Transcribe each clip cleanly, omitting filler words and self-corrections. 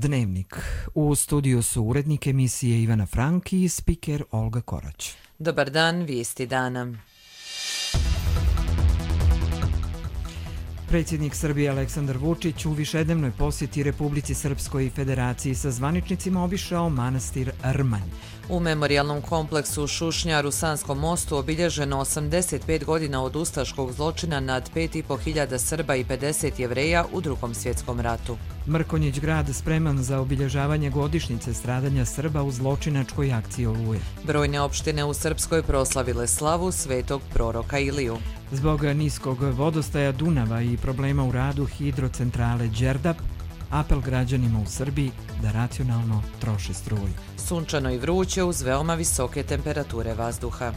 Dnevnik. U studiju su urednik emisije Ivana Frank i spiker Olga Korać. Dobar dan, vijesti dana. Predsjednik Srbije Aleksandar Vučić u višednevnoj posjeti Republici Srpskoj i Federaciji sa zvaničnicima obišao manastir Rmanj. U memorijalnom kompleksu u Šušnjaru Sanskom mostu obilježeno 85 godina od ustaškog zločina nad 5.500 Srba i 50 Jevreja u Drugom svjetskom ratu. Mrkonjić grad spreman za obilježavanje godišnjice stradanja Srba u zločinačkoj akciji Oluje. Brojne opštine u Srpskoj proslavile slavu svetog proroka Iliju. Zbog niskog vodostaja Dunava i problema u radu hidrocentrale Đerdap, apel građanima u Srbiji da racionalno troše struju. Sunčano i vruće uz veoma visoke temperature vazduha.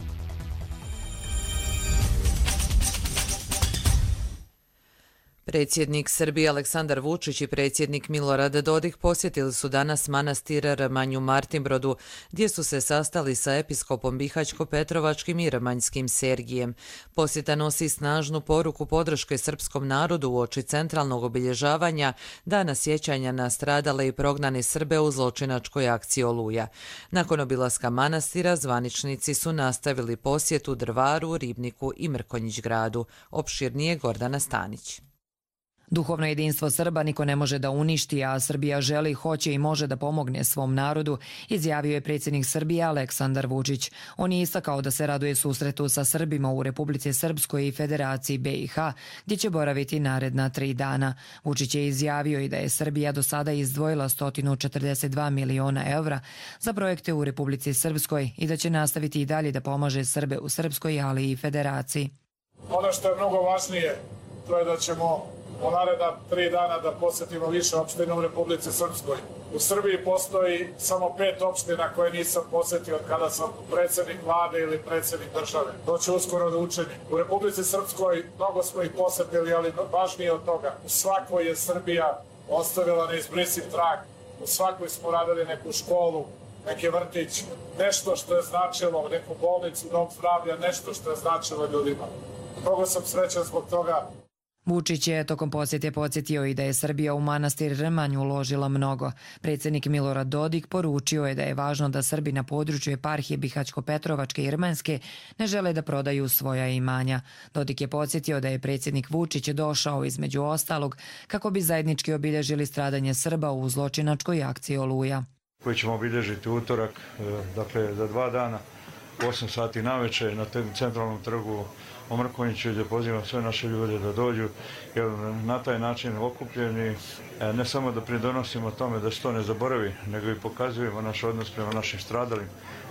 Predsjednik Srbije Aleksandar Vučić i predsjednik Milorad Dodik posjetili su danas manastir Rmanj u Martinbrodu, gdje su se sastali sa episkopom Bihaćko-Petrovačkim i Rmanjskim Sergijem. Posjeta nosi snažnu poruku podrške srpskom narodu uoči centralnog obilježavanja Dana sjećanja na stradale i prognane Srbe u zločinačkoj akciji Oluja. Nakon obilaska manastira, zvaničnici su nastavili posjetu Drvaru, Ribniku i Mrkonjić gradu. Opširnije Gordana Stanić. Duhovno jedinstvo Srba niko ne može da uništi, a Srbija želi, hoće i može da pomogne svom narodu, izjavio je predsjednik Srbije Aleksandar Vučić. On je istakao da se raduje susretu sa Srbima u Republici Srpskoj i Federaciji BiH, gdje će boraviti naredna 3 dana. Vučić je izjavio i da je Srbija do sada izdvojila 142 miliona evra za projekte u Republici Srpskoj i da će nastaviti i dalje da pomaže Srbe u Srpskoj, ali i Federaciji. Ono što je mnogo važnije, to je da ćemo u naredna 3 dana da posjetimo više opština u Republici Srpskoj. U Srbiji postoji samo 5 opština koje nisam posjetio od kada sam predsjednik vlade ili predsjednik države. To će uskoro da učini. U Republici Srpskoj mnogo smo ih posjetili, ali važnije od toga. U svakoj je Srbija ostavila neizbrisiv trag. U svakoj smo radili neku školu, neki vrtić, nešto što je značilo, neku bolnicu, dom zdravlja, nešto što je značilo ljudima. Mnogo sam srećan zbog toga. Vučić je tokom posjete podsjetio i da je Srbija u manastir Rmanj uložila mnogo. Predsjednik Milorad Dodik poručio je da je važno da Srbi na području eparhije Bihaćko-Petrovačke i Rmanjske ne žele da prodaju svoja imanja. Dodik je podsjetio da je predsjednik Vučić došao između ostalog kako bi zajednički obilježili stradanje Srba u zločinačkoj akciji Oluja. Koji ćemo obilježiti utorak, dakle za 2 dana, u 8 sati navečer na centralnom trgu u Mrkonjiću, gdje pozivam sve naše ljude da dođu, jer na taj način okupljeni ne samo da pridonosimo tome da se to ne zaboravi, nego i pokazujemo naš odnos prema našim stradalim.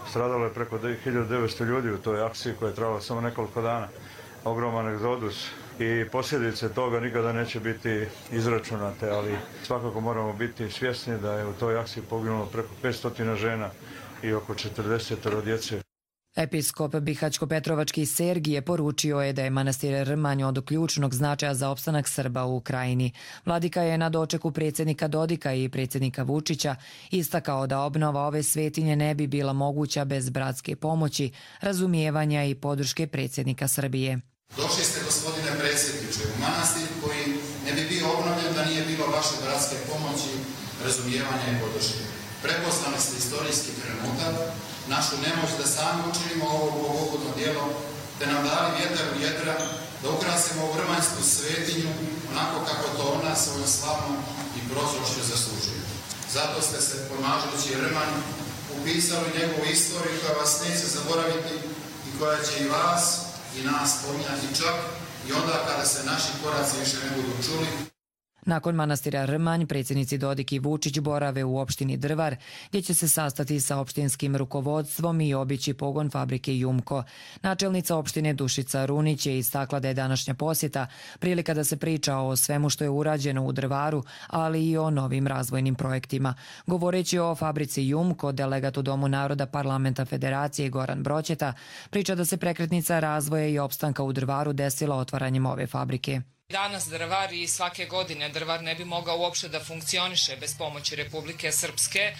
Stradalo je preko 1900 ljudi u toj akciji koja je trajala samo nekoliko dana. Ogroman egzodus i posljedice toga nikada neće biti izračunate, ali svakako moramo biti svjesni da je u toj akciji poginulo preko 500 žena i oko 40 djece. Episkop Bihaćko-Petrovački Sergije poručio je da je manastir Rmanj od ključnog značaja za opstanak Srba u Ukrajini. Vladika je na dočeku predsjednika Dodika i predsjednika Vučića istakao da obnova ove svetinje ne bi bila moguća bez bratske pomoći, razumijevanja i podrške predsjednika Srbije. Došli ste, gospodine predsjedniče, u manastir koji ne bi bio obnovljen da nije bilo vaše bratske pomoći, razumijevanja i podrške. Prepoznali ste istorijski trenutak, našu nemoć da sami učinimo ovo bogougodno djelo, te nam dali vjetar u jedra da ukrasimo ovu rmanjsku svetinju onako kako to ona svojom slavnom i prozrošću zaslužuje. Zato ste se, pomažući Rmanj, upisali njegovu istoriju koja vas neće zaboraviti i koja će i vas i nas spominjati čak i onda kada se naši koraci više ne budu čuli. Nakon manastira Rmanj, predsjednici Dodik i Vučić borave u opštini Drvar, gdje će se sastati sa opštinskim rukovodstvom i obići pogon fabrike Jumko. Načelnica opštine Dušica Runić je istakla da je današnja posjeta prilika da se priča o svemu što je urađeno u Drvaru, ali i o novim razvojnim projektima. Govoreći o fabrici Jumko, delegat u Domu naroda Parlamenta Federacije Goran Broćeta priča da se prekretnica razvoja i opstanka u Drvaru desila otvaranjem ove fabrike. Danas drvar i svake godine drvar ne bi mogao uopšte da funkcioniše bez pomoći Republike Srpske.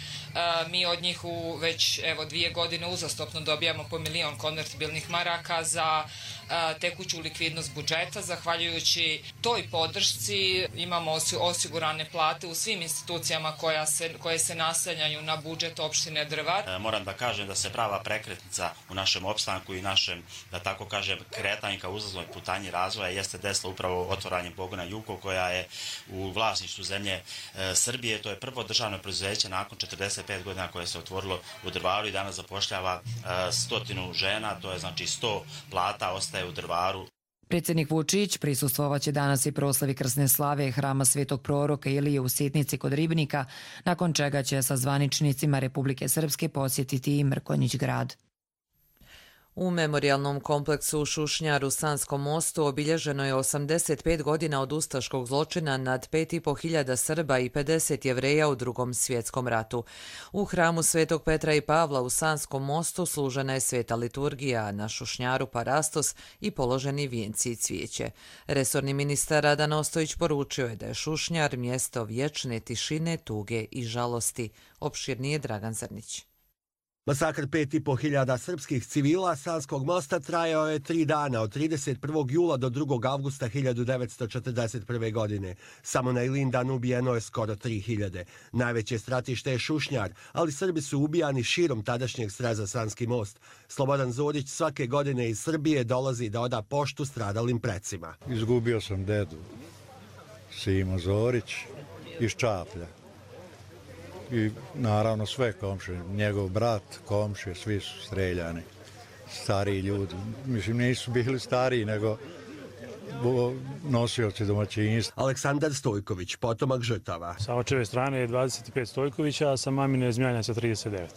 Mi od njih već 2 godine uzastopno dobijamo po 1 milion konvertibilnih maraka za tekuću likvidnost budžeta. Zahvaljujući toj podršci imamo osigurane plate u svim institucijama koje se naslanjaju na budžet opštine Drvar. Moram da kažem da se prava prekretnica u našem opstanku i našem, da tako kažem, kretanju ka uzlaznoj putanji razvoja jeste desila upravo otvaranjem pogona Jukov, koja je u vlasništvu zemlje Srbije. To je prvo državno preduzeće nakon 45 godina koje se otvorilo u Drvaru i danas zapošljava 100 žena, to je znači 100 plata ostaje u Drvaru. Predsjednik Vučić prisustvovaće danas i proslavi krsne slave Hrama Svetog proroka Ilije u Sitnici kod Ribnika, nakon čega će sa zvaničnicima Republike Srpske posjetiti i Mrkonjić grad. U memorijalnom kompleksu Šušnjar u Sanskom mostu obilježeno je 85 godina od ustaškog zločina nad 5.500 Srba i 50 Jevreja u Drugom svjetskom ratu. U hramu Svetog Petra i Pavla u Sanskom mostu služena je sveta liturgija, a na Šušnjaru parastos i položeni vijenci i cvijeće. Resorni ministar Radan Ostojić poručio je da je Šušnjar mjesto vječne tišine, tuge i žalosti. Opširnije Dragan Zrnić. Masakr 5.500 srpskih civila Sanskog mosta trajao je 3 dana, od 31. jula do 2. avgusta 1941. godine. Samo na Ilindan ubijeno je skoro 3000. Najveće stratište je Šušnjar, ali Srbi su ubijani širom tadašnjeg sreza Sanski most. Slobodan Zorić svake godine iz Srbije dolazi da oda poštu stradalim precima. Izgubio sam dedu, Simo Zorić, iz Čaplja. I naravno sve komšije, njegov brat, komšije, svi su streljani, stariji ljudi. Mislim, nisu bili stariji, nego nosioci domaćinstva. Aleksandar Stojković, potomak žrtava. Sa očeve strane je 25 Stojkovića, a sa mamine Zmijanjaca 39.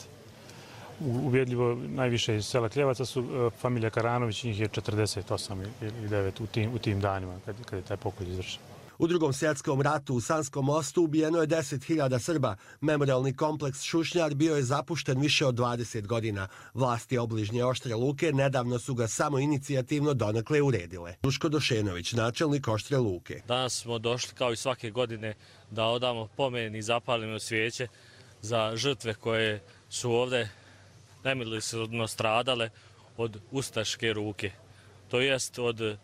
Ubjedljivo najviše iz sela Kljevaca su familija Karanović, njih je 48 ili 9 u tim danima kad je taj pokolj izvršen. U Drugom svjetskom ratu u Sanskom mostu ubijeno je 10.000 Srba. Memorialni kompleks Šušnjar bio je zapušten više od 20 godina. Vlasti obližnje Oštre Luke nedavno su ga samo inicijativno donekle uredile. Duško Došenović, načelnik Oštre Luke. Danas smo došli kao i svake godine da odamo pomen i zapalimo svijeće za žrtve koje su ovdje nemilosrdno stradale od ustaške ruke. To jest od,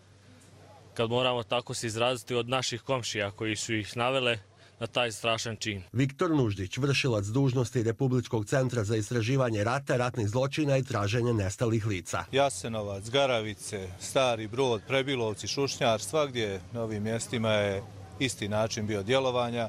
kad moramo tako se izraziti, od naših komšija koji su ih navele na taj strašan čin. Viktor Nuždić, vršilac dužnosti Republičkog centra za istraživanje rata, ratnih zločina i traženje nestalih lica. Jasenovac, Garavice, Stari Brod, Prebilovci, Šušnjar, svagdje na ovim mjestima je isti način bio djelovanja.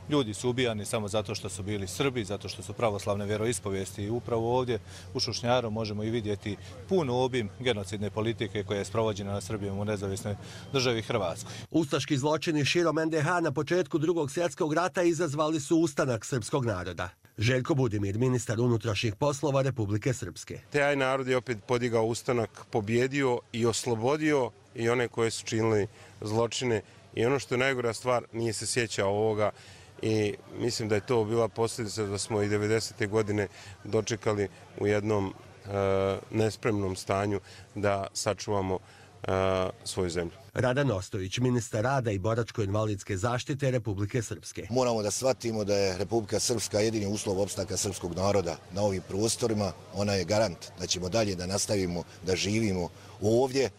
Ljudi su ubijani samo zato što su bili Srbi, zato što su pravoslavne vjeroispovijesti. I upravo ovdje u Šušnjaru možemo i vidjeti puno obim genocidne politike koja je sprovođena na Srbijom u nezavisnoj državi Hrvatskoj. Ustaški zločini širom NDH na početku Drugog svjetskog rata izazvali su ustanak srpskog naroda. Željko Budimir, ministar unutrašnjih poslova Republike Srpske. Taj narod je opet podigao ustanak, pobjedio i oslobodio i one koje su činili zločine. I ono što je najgora stvar, nije se sjećao ovoga. I mislim da je to bila posljedica da smo i 90. godine dočekali u jednom nespremnom stanju da sačuvamo svoju zemlju. Radan Ostojić, ministar rada i boračko-invalidske zaštite Republike Srpske. Moramo da shvatimo da je Republika Srpska jedini uslov opstanka srpskog naroda na ovim prostorima. Ona je garant da ćemo dalje da nastavimo da živimo ovdje.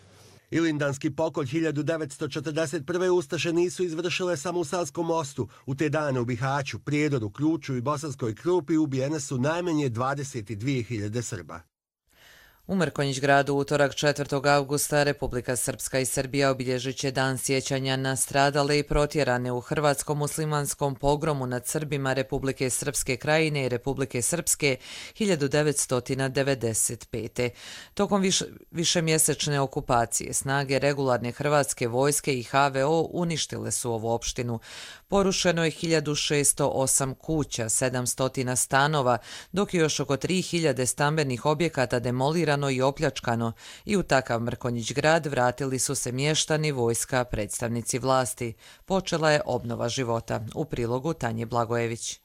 Ilindanski pokolj 1941. Ustaše nisu izvršile samo u Sanskom mostu. U te dane u Bihaću, Prijedoru, Ključu i Bosanskoj Krupi ubijene su najmanje 22.000 Srba. U Mrkonjić gradu utorak 4. avgusta Republika Srpska i Srbija obilježit će dan sjećanja na stradale i protjerane u hrvatskom muslimanskom pogromu nad Srbima Republike Srpske krajine i Republike Srpske 1995. Tokom višemjesečne okupacije snage regularne hrvatske vojske i HVO uništile su ovu opštinu. Porušeno je 1608 kuća, 700 stanova, dok je još oko 3000 stambenih objekata demolirano i opljačkano i u takav Mrkonjić grad vratili su se mještani, vojska, predstavnici vlasti. Počela je obnova života. U prilogu Tanje Blagojević.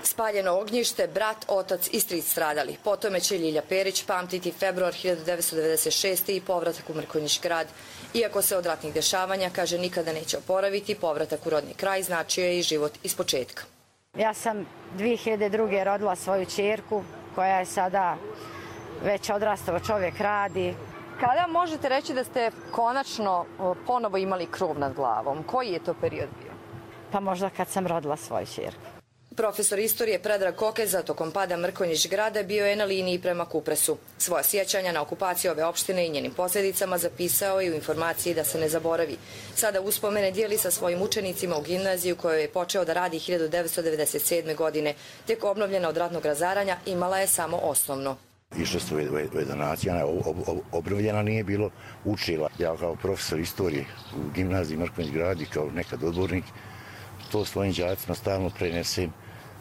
Spaljeno ognjište, brat, otac i stric stradali. Po tome će Ljilja Perić pamtiti februar 1996. i povratak u Mrkonjić grad. Iako se od ratnih dešavanja, kaže, nikada neće oporaviti, povratak u rodni kraj značio je i život ispočetka. Ja sam 2002. rodila svoju ćerku koja je sada već odrastao čovjek, radi. Kada možete reći da ste konačno ponovo imali krov nad glavom? Koji je to period bio? Pa možda kad sam rodila svoju ćerku. Profesor istorije Predrag Kokeza tokom pada Mrkonjić grada bio je na liniji prema Kupresu. Svoja sjećanja na okupaciju ove opštine i njenim posljedicama zapisao je u informaciji da se ne zaboravi. Sada uspomene dijeli sa svojim učenicima u gimnaziju kojoj je počeo da radi 1997. godine. Tek obnovljena od ratnog razaranja imala je samo osnovno. Išli su u donacija, obnovljena nije bilo, učila. Ja kao profesor istorije u gimnaziji Mrkonjić grad i kao nekad odbornik, to svojim đacima stalno prenesem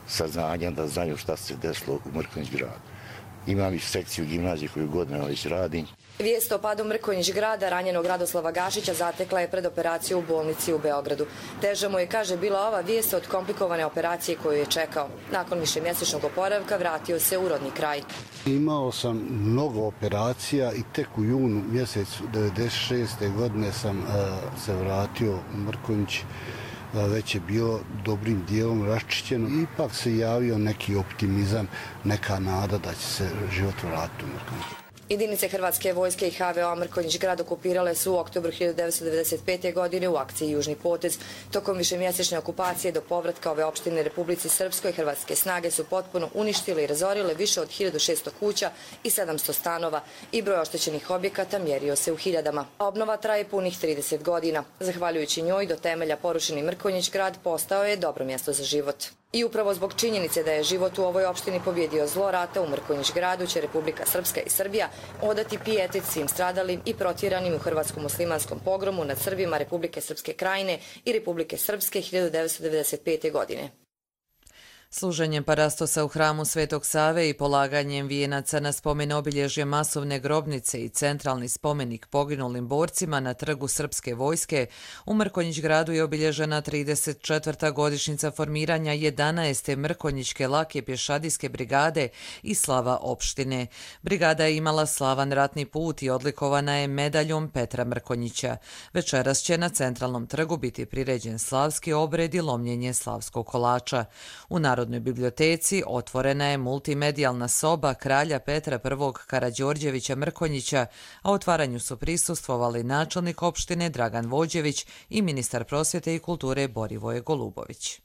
saznanja da znaju šta se desilo u Mrkonjić gradu. Imam i sekciju gimnazije koju godinama već radim. Vijest o padu Mrkonjić grada ranjenog Radoslava Gašića zatekla je pred operaciju u bolnici u Beogradu. Teža mu je, kaže, bila ova vijest od komplikovane operacije koju je čekao. Nakon višemjesečnog oporavka vratio se u rodni kraj. Imao sam mnogo operacija i tek u junu mjesecu 1996. godine sam se vratio u Mrkonjić. Već je bilo dobrim dijelom raščišćeno. Ipak se javio neki optimizam, neka nada da će se život vratiti u Mrkonjić. Jedinice Hrvatske vojske i HVO Mrkonjić grad okupirale su u oktobru 1995. godine u akciji Južni potez. Tokom višemjesečne okupacije do povratka ove opštine Republici Srpskoj hrvatske snage su potpuno uništile i razorile više od 1600 kuća i 700 stanova i broj oštećenih objekata mjerio se u hiljadama. Obnova traje punih 30 godina. Zahvaljujući njoj do temelja porušeni Mrkonjić grad postao je dobro mjesto za život. I upravo zbog činjenice da je život u ovoj opštini pobjedio zlo rata u Mrkonjić gradu će Republika Srpska i Srbija odati pijetet svim stradalim i protjeranim u hrvatskom muslimanskom pogromu nad Srbima Republike Srpske krajine i Republike Srpske 1995. godine. Služenjem parastosa u hramu Svetog Save i polaganjem vijenaca na spomen obilježje masovne grobnice i centralni spomenik poginulim borcima na trgu Srpske vojske, u Mrkonjić gradu je obilježena 34. godišnjica formiranja 11. Mrkonjićke lake pješadijske brigade i slava opštine. Brigada je imala slavan ratni put i odlikovana je medaljom Petra Mrkonjića. Večeras će na centralnom trgu biti priređen slavski obred i lomljenje slavskog kolača. U Narodnoj biblioteci otvorena je multimedijalna soba kralja Petra I. Karađorđevića Mrkonjića, a otvaranju su prisustvovali načelnik opštine Dragan Vođević i ministar prosvjete i kulture Borivoje Golubović.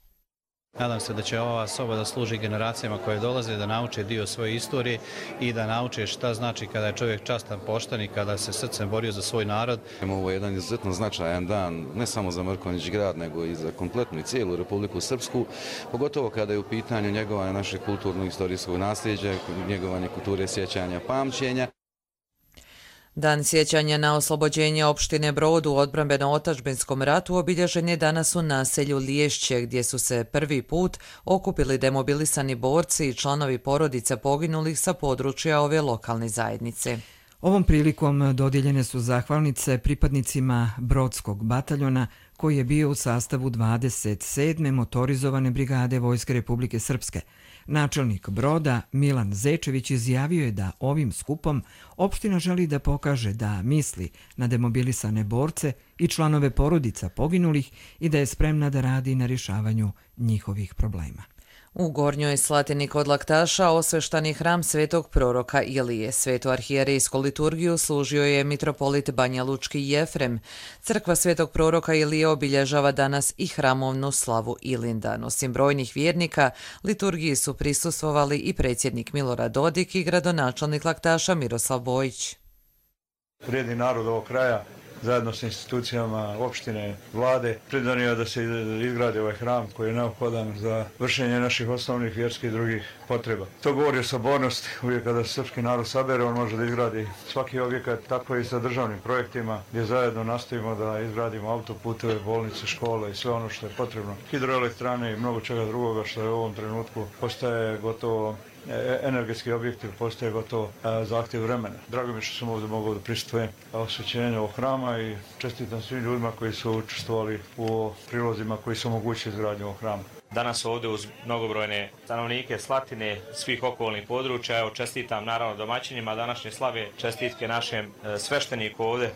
Nadam se da će ova soba da služi generacijama koje dolaze, da nauče dio svoje istorije i da nauče šta znači kada je čovjek častan, pošten i kada se srcem borio za svoj narod. Ovo je jedan izuzetno značajan dan, ne samo za Mrkonjić grad, nego i za kompletnu i cijelu Republiku Srpsku, pogotovo kada je u pitanju njegovanje našeg kulturno-istorijskog nasljeđa, njegovanje kulture sjećanja, pamćenja. Dan sjećanja na oslobođenje opštine Brod u odbrambeno-otačbinskom ratu obilježen je danas u naselju Liješće, gdje su se prvi put okupili demobilisani borci i članovi porodica poginulih sa područja ove lokalne zajednice. Ovom prilikom dodijeljene su zahvalnice pripadnicima Brodskog bataljona koji je bio u sastavu 27. motorizovane brigade Vojske Republike Srpske. Načelnik Broda Milan Zečević izjavio je da ovim skupom opština želi da pokaže da misli na demobilisane borce i članove porodica poginulih i da je spremna da radi na rješavanju njihovih problema. U Gornjoj Slatini kod Laktaša osveštani hram svetog proroka Ilije. Svetu arhijerejsku liturgiju služio je mitropolit Banja Lučki Jefrem. Crkva svetog proroka Ilije obilježava danas i hramovnu slavu Ilindan. Osim brojnih vjernika, liturgiji su prisustvovali i predsjednik Milorad Dodik i gradonačelnik Laktaša Miroslav Bojić. Vrijedni narod ovog kraja zajedno s institucijama opštine, vlade, pridonio da se izgradi ovaj hram koji je neophodan za vršenje naših osnovnih vjerskih i drugih potreba. To govori o sabornosti. Uvijek kada se srpski narod sabere, on može da izgradi svaki objekat, tako i sa državnim projektima, gdje zajedno nastavimo da izgradimo autoputeve, bolnice, škole i sve ono što je potrebno. Hidroelektrane i mnogo čega drugoga što je u ovom trenutku postaje gotovo energetski objekti, postaje gotovo zahtjev vremena. Drago mi što sam ovdje mogao da prisustvujem osvećenju ovog hrama i čestitam svim ljudima koji su učestvovali u prilozima koji su omogućili izgradnju ovog hrama. danas ovdje uz mnogobrojne stanovnike Slatine, svih okolnih područja. Evo, čestitam naravno domaćinima današnje slave, čestitke našem svešteniku ovdje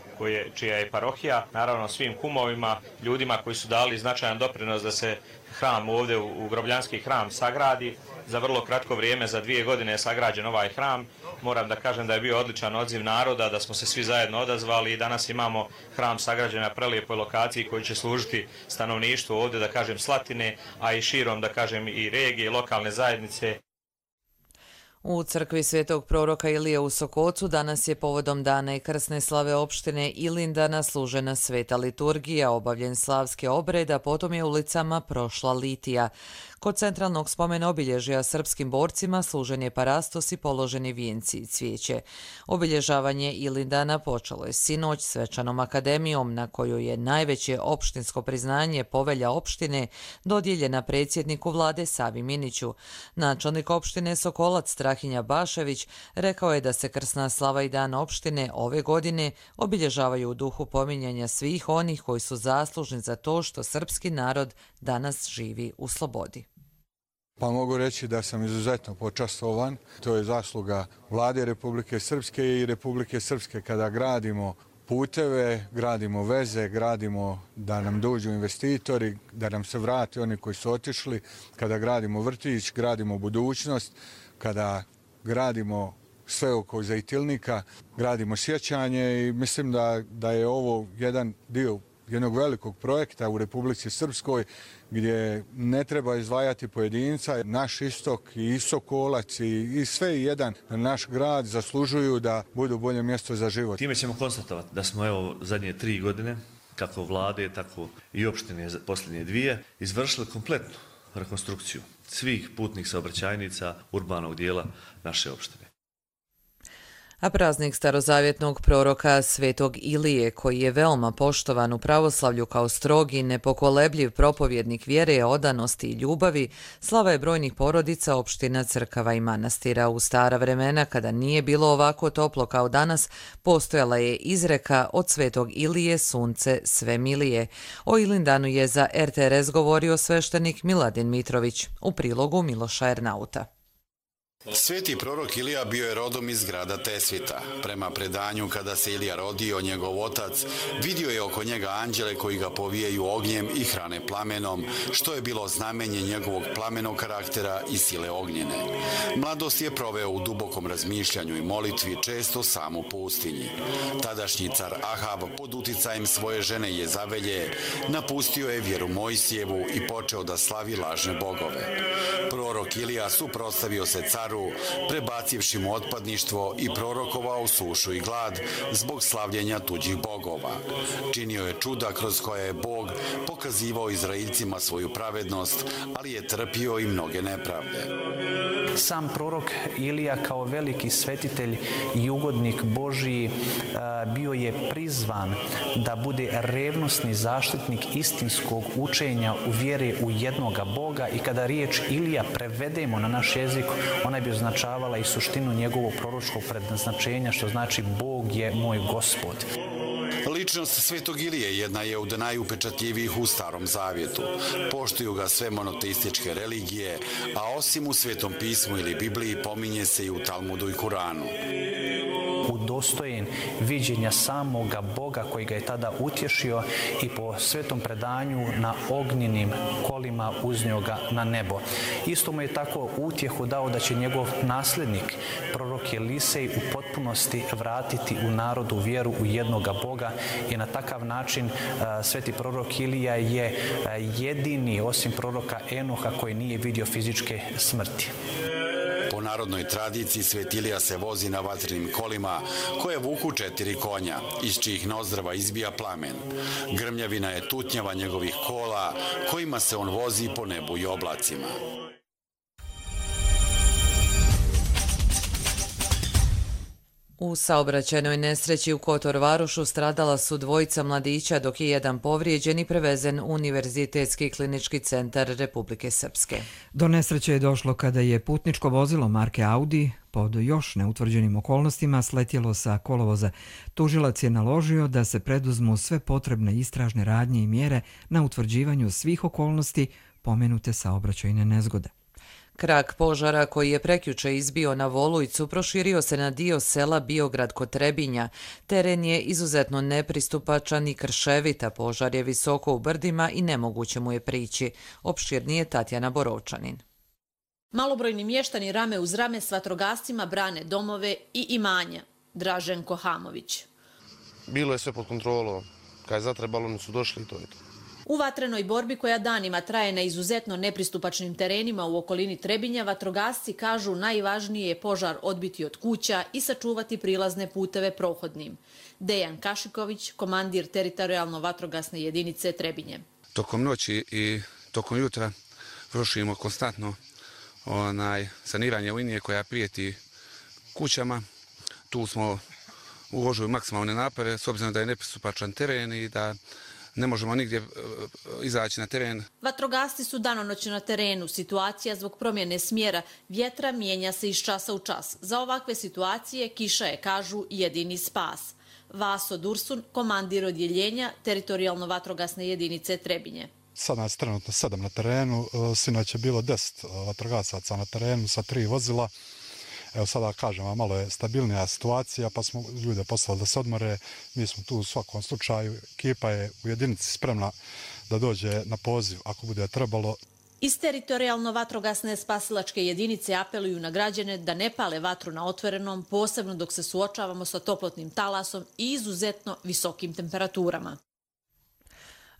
čija je parohija, naravno svim kumovima, ljudima koji su dali značajan doprinos da se hram ovdje u Grobljanski hram sagradi. Za vrlo kratko vrijeme, za 2 godine je sagrađen ovaj hram. Moram da kažem da je bio odličan odziv naroda, da smo se svi zajedno odazvali i danas imamo hram sagrađen na prelijepoj lokaciji koji će služiti stanovništvu ovdje, da kažem, Slatine, a i širom, da kažem, i regije, lokalne zajednice. U crkvi Svetog proroka Ilije u Sokocu danas je povodom dana i krsne slave opštine Ilindana služena sveta liturgija, obavljen slavski obred, a potom je ulicama prošla litija. Kod centralnog spomena obilježja srpskim borcima služen je parastos i položeni vijenci i cvijeće. Obilježavanje Ilindana počelo je sinoć svečanom akademijom na kojoj je najveće opštinsko priznanje povelja opštine dodijeljena predsjedniku vlade Savi Miniću. Načelnik opštine Sokolac Strahinja Bašević rekao je da se krsna slava i dan opštine ove godine obilježavaju u duhu pominjanja svih onih koji su zaslužni za to što srpski narod danas živi u slobodi. Pa mogu reći da sam izuzetno počastovan. To je zasluga vlade Republike Srpske i Republike Srpske kada gradimo puteve, gradimo veze, gradimo da nam dođu investitori, da nam se vrate oni koji su otišli, kada gradimo vrtić, gradimo budućnost, kada gradimo sve oko Zajtilnika, gradimo sjećanje i mislim da je ovo jedan dio jednog velikog projekta u Republici Srpskoj gdje ne treba izdvajati pojedinca. Naš istok i Sokolac i sve jedan naš grad zaslužuju da budu bolje mjesto za život. Time ćemo konstatovati da smo zadnje 3 godine, kako vlade, tako i opštine posljednje 2, izvršili kompletnu rekonstrukciju svih putnih saobraćajnica urbanog dijela naše opštine. A praznik starozavjetnog proroka Svetog Ilije, koji je veoma poštovan u pravoslavlju kao strogi, nepokolebljiv propovjednik vjere, odanosti i ljubavi, slava je brojnih porodica, opština, crkava i manastira. U stara vremena, kada nije bilo ovako toplo kao danas, postojala je izreka od Svetog Ilije sunce sve milije. O Ilindanu je za RTRS govorio sveštenik Miladin Mitrović, u prilogu Miloša Ernauta. Sveti prorok Ilija bio je rodom iz grada Tesvita. Prema predanju, kada se Ilija rodio, njegov otac vidio je oko njega anđele koji ga povijaju ognjem i hrane plamenom, što je bilo znamenje njegovog plamenog karaktera i sile ognjene. Mladost je proveo u dubokom razmišljanju i molitvi, često sam u pustinji. Tadašnji car Ahab, pod uticajem svoje žene Jezavelje, napustio je vjeru Mojsijevu i počeo da slavi lažne bogove. Prorok Ilija suprotstavio se caru, prebacivši mu otpadništvo i prorokovao sušu i glad zbog slavljenja tuđih bogova. Činio je čuda kroz koja je Bog pokazivao Izraeljcima svoju pravednost, ali je trpio i mnoge nepravde. Sam prorok Ilija kao veliki svetitelj i ugodnik Božiji bio je prizvan da bude revnosni zaštitnik istinskog učenja u vjeri u jednoga Boga i kada riječ Ilija prevedemo na naš jezik, ona bi označavala i suštinu njegovog proročkog predznačenja, što znači Bog je moj Gospod. Ličnost Svetog Ilije jedna je od najupečatljivijih u Starom Zavjetu. Poštuju ga sve monoteističke religije, a osim u Svetom pismu ili Bibliji pominje se i u Talmudu i Kuranu. Udostojen viđenja samoga Boga koji ga je tada utješio i po svetom predanju na ognjenim kolima uznio ga na nebo. Isto mu je tako utjehu dao da će njegov nasljednik, prorok Elisej, u potpunosti vratiti u narodu vjeru u jednoga Boga i na takav način sveti prorok Ilija je jedini, osim proroka Enoha, koji nije vidio fizičke smrti. Po narodnoj tradiciji Svet Ilija se vozi na vatrenim kolima koje vuku 4 konja, iz čijih nozdrva izbija plamen. Grmljavina je tutnjava njegovih kola kojima se on vozi po nebu i oblacima. U saobraćajnoj nesreći u Kotor Varošu stradala su 2 mladića, dok je jedan povrijeđen i prevezen u Univerzitetski klinički centar Republike Srpske. Do nesreće je došlo kada je putničko vozilo marke Audi pod još neutvrđenim okolnostima sletjelo sa kolovoza. Tužilac je naložio da se preduzmu sve potrebne istražne radnje i mjere na utvrđivanju svih okolnosti pomenute saobraćajne nezgode. Krak požara koji je prekjuče izbio na Volujcu proširio se na dio sela Biograd kod Trebinja. Teren je izuzetno nepristupačan i krševita, požar je visoko u brdima i nemoguće mu je prići. Opširnije Tatjana Borovčanin. Malobrojni mještani rame uz rame s vatrogascima brane domove i imanja. Draženko Hamović. Bilo je sve pod kontrolom. Kad je zatrebalo, oni su došli i to je to. U vatrenoj borbi koja danima traje na izuzetno nepristupačnim terenima u okolini Trebinja, vatrogasci kažu najvažnije je požar odbiti od kuća i sačuvati prilazne puteve prohodnim. Dejan Kašiković, komandir teritorijalno vatrogasne jedinice Trebinje. Tokom noći i tokom jutra vršimo konstantno saniranje linije koja prijeti kućama. Tu smo uložili maksimalne napore s obzirom da je nepristupačan teren i da ne možemo nigdje izaći na teren. Vatrogasci su danonoćno na terenu. Situacija zbog promjene smjera vjetra mijenja se iz časa u čas. Za ovakve situacije kiša je, kažu, jedini spas. Vaso Dursun, komandir odjeljenja teritorijalno vatrogasne jedinice Trebinje. Sad nas trenutno 7 na terenu, sinoć je bilo 10 vatrogasaca na terenu sa 3 vozila. Evo sada kažem vam, malo je stabilnija situacija, pa smo ljude poslali da se odmore. Mi smo tu u svakom slučaju, ekipa je u jedinici spremna da dođe na poziv ako bude trebalo. Iz teritorijalno vatrogasne spasilačke jedinice apeluju na građane da ne pale vatru na otvorenom, posebno dok se suočavamo sa toplotnim talasom i izuzetno visokim temperaturama.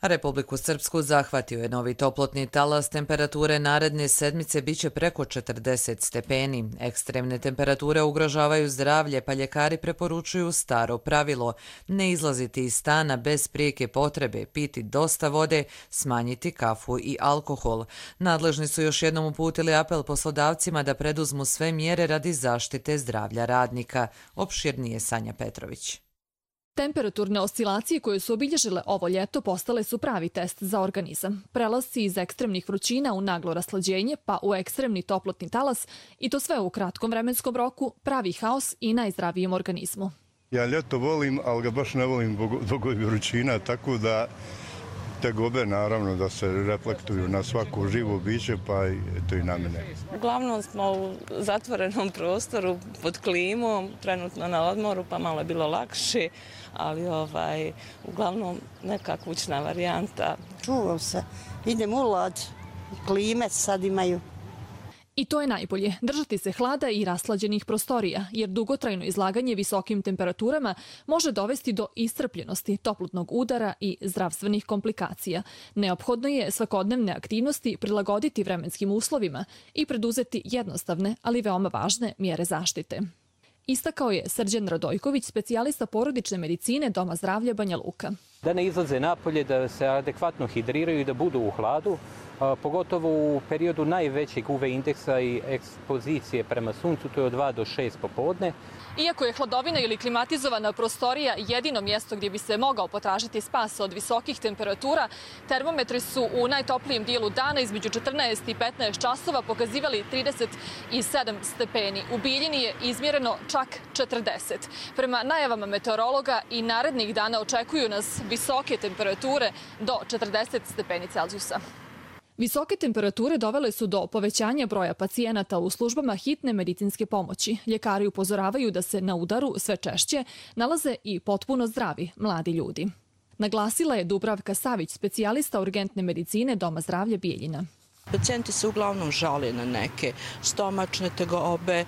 Republiku Srpsku zahvatio je novi toplotni talas. Temperature naredne sedmice biće preko 40 stepeni. Ekstremne temperature ugrožavaju zdravlje, pa ljekari preporučuju staro pravilo: ne izlaziti iz stana bez prijeke potrebe, piti dosta vode, smanjiti kafu i alkohol. Nadležni su još jednom uputili apel poslodavcima da preduzmu sve mjere radi zaštite zdravlja radnika. Opširnije Sanja Petrović. Temperaturne oscilacije koje su obilježile ovo ljeto postale su pravi test za organizam. Prelasci iz ekstremnih vrućina u naglo raslađenje pa u ekstremni toplotni talas i to sve u kratkom vremenskom roku pravi haos i najzdravijem organizmu. Ja ljeto volim, ali ga baš ne volim zbog vrućina, tako da tegobe naravno da se reflektuju na svako živo biće, pa eto i na mene. Uglavnom smo u zatvorenom prostoru pod klimom, trenutno na odmoru, pa malo je bilo lakše, ali uglavnom neka kućna varijanta. Čuvam se, idem u lad, klime sad imaju. I to je najbolje, držati se hlada i raslađenih prostorija, jer dugotrajno izlaganje visokim temperaturama može dovesti do iscrpljenosti, toplotnog udara i zdravstvenih komplikacija. Neophodno je svakodnevne aktivnosti prilagoditi vremenskim uslovima i preduzeti jednostavne, ali veoma važne mjere zaštite. Istakao je Srđan Radojković, specijalista porodične medicine Doma zdravlja Banja Luka. Da ne izlaze napolje, da se adekvatno hidriraju i da budu u hladu, pogotovo u periodu najvećeg UV indeksa i ekspozicije prema suncu, to je od 2 do 6 popodne. Iako je hladovina ili klimatizovana prostorija jedino mjesto gdje bi se mogao potražiti spas od visokih temperatura, termometri su u najtoplijem dijelu dana između 14 i 15 časova pokazivali 37 stepeni. U Bijeljini je izmjereno čak 40. Prema najavama meteorologa i narednih dana očekuju nas visoke temperature do 40 stepeni Celzijusa. Visoke temperature dovele su do povećanja broja pacijenata u službama hitne medicinske pomoći. Ljekari upozoravaju da se na udaru sve češće nalaze i potpuno zdravi mladi ljudi. Naglasila je Dubravka Savić, specijalista urgentne medicine Doma zdravlja Bijeljina. Pacijenti se uglavnom žale na neke stomačne tegobe,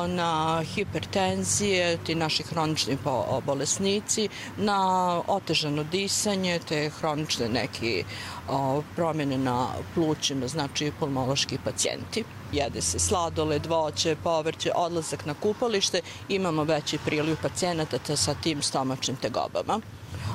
na hipertenzije, ti naši hronični bolesnici, na otežano disanje, te hronične neke promjene na plućima, znači pulmološki pacijenti. Jede se sladoled, voće, povrće, odlazak na kupalište, imamo veći priliv pacijenata sa tim stomačnim tegobama,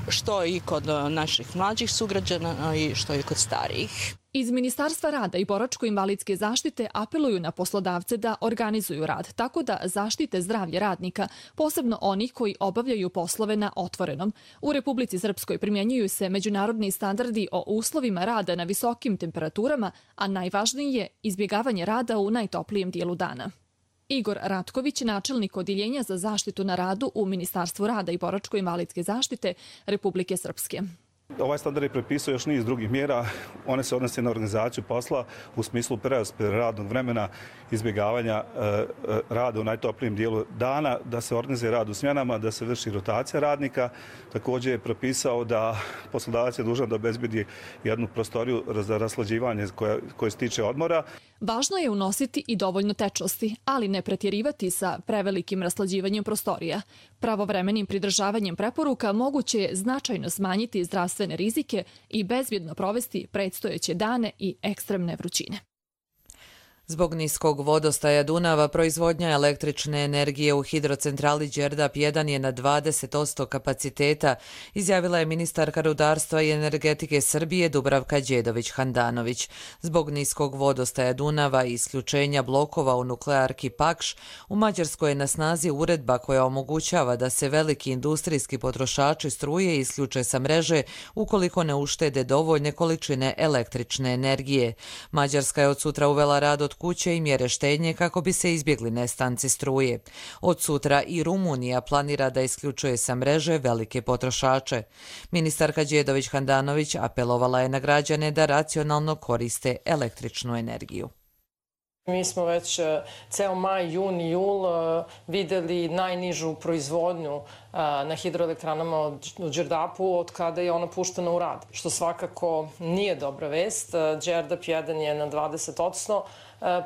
što i kod naših mlađih sugrađana i što i kod starijih. Iz Ministarstva rada i boračko-invalidske zaštite apeluju na poslodavce da organizuju rad, tako da zaštite zdravlje radnika, posebno onih koji obavljaju poslove na otvorenom. U Republici Srpskoj primjenjuju se međunarodni standardi o uslovima rada na visokim temperaturama, a najvažnije je izbjegavanje rada u najtoplijem dijelu dana. Igor Ratković, načelnik Odjeljenja za zaštitu na radu u Ministarstvu rada i boračko-invalidske zaštite Republike Srpske. Ovaj standard je prepisao još niz drugih mjera. One se odnose na organizaciju posla u smislu preraspodjele radnog vremena, izbjegavanja rada u najtoplijem dijelu dana, da se organizuje rad u smjenama, da se vrši rotacija radnika. Također je propisao da poslodavac je dužan da obezbedi jednu prostoriju za raslađivanje koje se tiče odmora. Važno je unositi i dovoljno tečnosti, ali ne pretjerivati sa prevelikim raslađivanjem prostorija. Pravovremenim pridržavanjem preporuka moguće je značajno smanjiti zdravstvene rizike i bezbjedno provesti predstojeće dane i ekstremne vrućine. Zbog niskog vodostaja Dunava, proizvodnja električne energije u hidrocentrali Đerdap 1 je na 20% kapaciteta, izjavila je ministarka rudarstva i energetike Srbije Dubravka Đedović-Handanović. Zbog niskog vodostaja Dunava i isključenja blokova u nuklearki Pakš, u Mađarskoj je na snazi uredba koja omogućava da se veliki industrijski potrošači struje isključe sa mreže ukoliko ne uštede dovoljne količine električne energije. Mađarska je od sutra uvela rad od kuće i mjere štednje kako bi se izbjegli nestanci struje. Od sutra i Rumunija planira da isključuje sa mreže velike potrošače. Ministarka Đedović-Handanović apelovala je na građane da racionalno koriste električnu energiju. Mi smo već ceo maj, jun i jul vidjeli najnižu proizvodnju na hidroelektranama u Đerdapu od kada je ona puštena u rad, što svakako nije dobra vest. Đerdap 1 je na 20%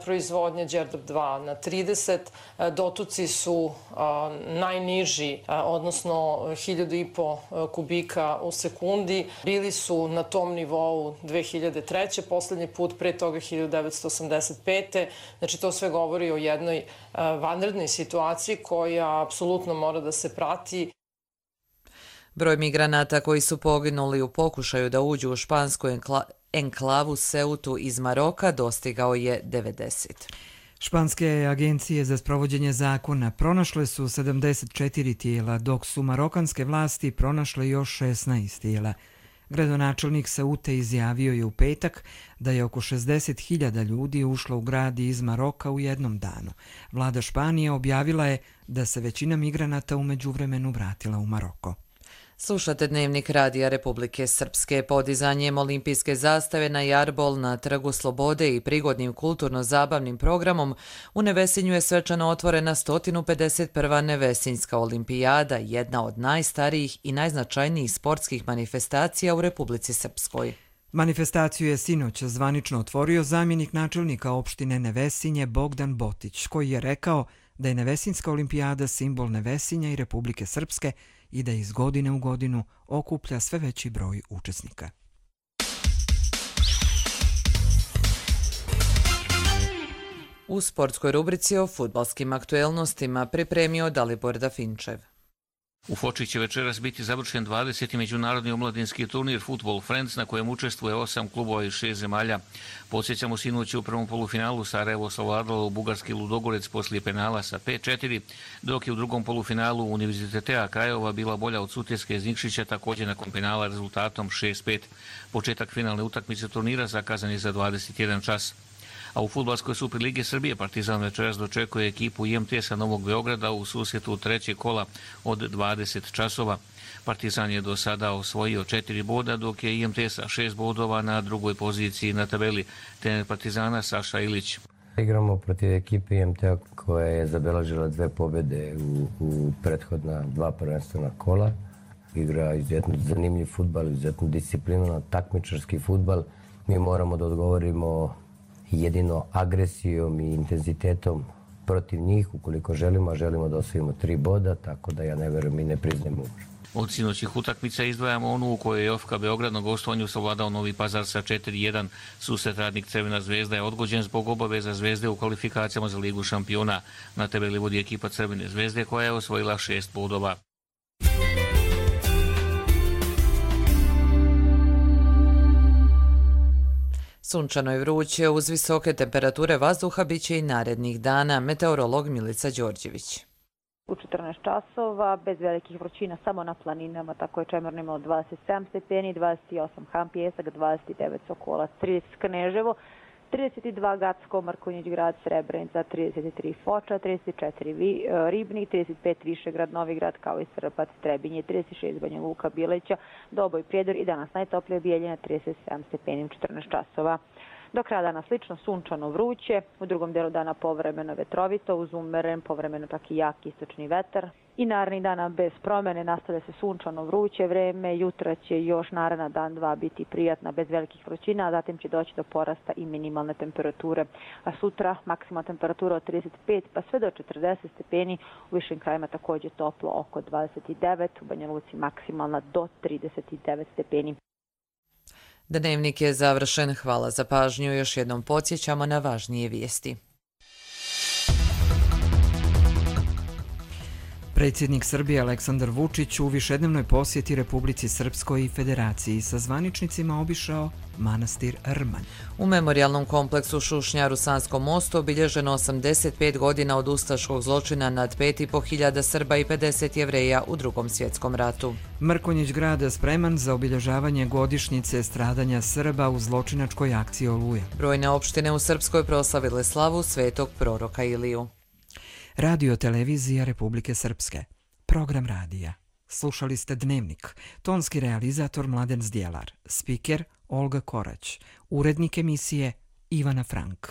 proizvodnje, Đerdap 2 na 30%. Dotoci su najniži, odnosno 1500 kubika u sekundi. Bili su na tom nivou 2003. Poslednji put, pre toga 1985. Znači to sve govori o jednoj vanrednoj situaciji koja apsolutno mora da se prati. Broj migranata koji su poginuli u pokušaju da uđu u špansku enklavu Ceutu iz Maroka dostigao je 90. Španske agencije za sprovođenje zakona pronašle su 74 tijela, dok su marokanske vlasti pronašle još 16 tijela. Gradonačelnik Ceute izjavio je u petak da je oko 60.000 ljudi ušlo u grad iz Maroka u jednom danu. Vlada Španije objavila je da se većina migranata u međuvremenu vratila u Maroko. Slušate Dnevnik Radija Republike Srpske. Podizanjem olimpijske zastave na Jarbol na Trgu Slobode i prigodnim kulturno-zabavnim programom u Nevesinju je svečano otvorena 151. Nevesinjska olimpijada, jedna od najstarijih i najznačajnijih sportskih manifestacija u Republici Srpskoj. Manifestaciju je sinoć zvanično otvorio zamjenik načelnika opštine Nevesinje Bogdan Botić, koji je rekao da je Nevesinjska olimpijada simbol Nevesinja i Republike Srpske i da iz godine u godinu okuplja sve veći broj učesnika. U sportskoj rubrici o fudbalskim aktuelnostima pripremio Dalibor Dafinčev. U Foči će večeras biti završen 20. međunarodni omladinski turnir Football Friends na kojem učestvuje 8 klubova iz 6 zemalja. Podsjećamo, sinoć u prvom polufinalu Sarajevo savladalo u bugarski Ludogorec poslije penala sa 5-4, dok je u drugom polufinalu Univerzitetea Krajova bila bolja od Sutjeske iz Nikšića, također nakon penala rezultatom 6-5. Početak finalne utakmice turnira zakazan je za 21 čas. A u fudbalskoj Superligi Srbije Partizan večeras dočekuje ekipu IMTS-a Novog Beograda u susretu trećeg kola od 20 časova. Partizan je do sada osvojio 4 boda, dok je IMTS-a 6 bodova na drugoj poziciji na tabeli. Trener Partizana Saša Ilić. Igramo protiv ekipe IMT-a koja je zabeležila 2 pobjede u prethodna 2 prvenstvena kola. Igra izuzetno zanimljiv fudbal, izuzetno disciplinovan, takmičarski fudbal. Mi moramo da odgovorimo jedino agresijom i intenzitetom protiv njih, ukoliko želimo da osvojimo 3 boda, tako da ja ne verujem i ne priznajemo umor. Od sinoćih utakmica izdvajamo onu u kojoj je OFK Beograd na gostovanju savladao Novi Pazar sa 4-1. Susret Radnik Crvena zvezda je odgođen zbog obaveza Zvezde u kvalifikacijama za Ligu šampiona. Na tabeli vodi ekipa Crvene zvezde koja je osvojila 6 bodova. Sunčano i vruće, uz visoke temperature vazduha biće i narednih dana. Meteorolog Milica Đorđević. U 14 časova, bez velikih vrućina, samo na planinama, tako je Čemerno imalo 27 stepeni, 28 Han Pjesak, 29 Sokolac, 30 Kneževo, 32 Gacko, Mrkonjić grad, Srebrenica, 33 Foča, 34 Ribnik, 35 Višegrad, Novigrad, kao i Srpac, Trebinje, 36 Banja Luka, Bileća, Doboj, Prijedor i danas najtoplije Bijeljina, 37 stepeni u 14 časova. Do kraja dana slično sunčano vruće, u drugom delu dana povremeno vetrovito, uz umeren, povremeno pak i jak istočni vetar. I narednih dana bez promjene nastavlja se sunčano vruće vreme, jutra će još naredna dan 2 biti prijatna bez velikih vrućina, a zatim će doći do porasta i minimalne temperature. A sutra maksimalna temperatura od 35 pa sve do 40 stepeni, u višim krajima također toplo oko 29, u Banja Luci maksimalna do 39 stepeni. Dnevnik je završen. Hvala za pažnju. Još jednom podsjećamo na važnije vijesti. Predsjednik Srbije Aleksandar Vučić u višednevnoj posjeti Republici Srpskoj i Federaciji sa zvaničnicima obišao manastir Rmanj. U memorijalnom kompleksu Šušnjar u Sanskom mostu obilježeno 85 godina od ustaškog zločina nad 5.500 Srba i 50 Jevreja u Drugom svjetskom ratu. Mrkonjić grad spreman za obilježavanje godišnjice stradanja Srba u zločinačkoj akciji Oluja. Brojne opštine u Srpskoj proslavile slavu svetog proroka Iliju. Radio televizija Republike Srpske. Program radija. Slušali ste Dnevnik. Tonski realizator Mladen Zdjelar. Spiker Olga Korać. Urednik emisije Ivana Frank.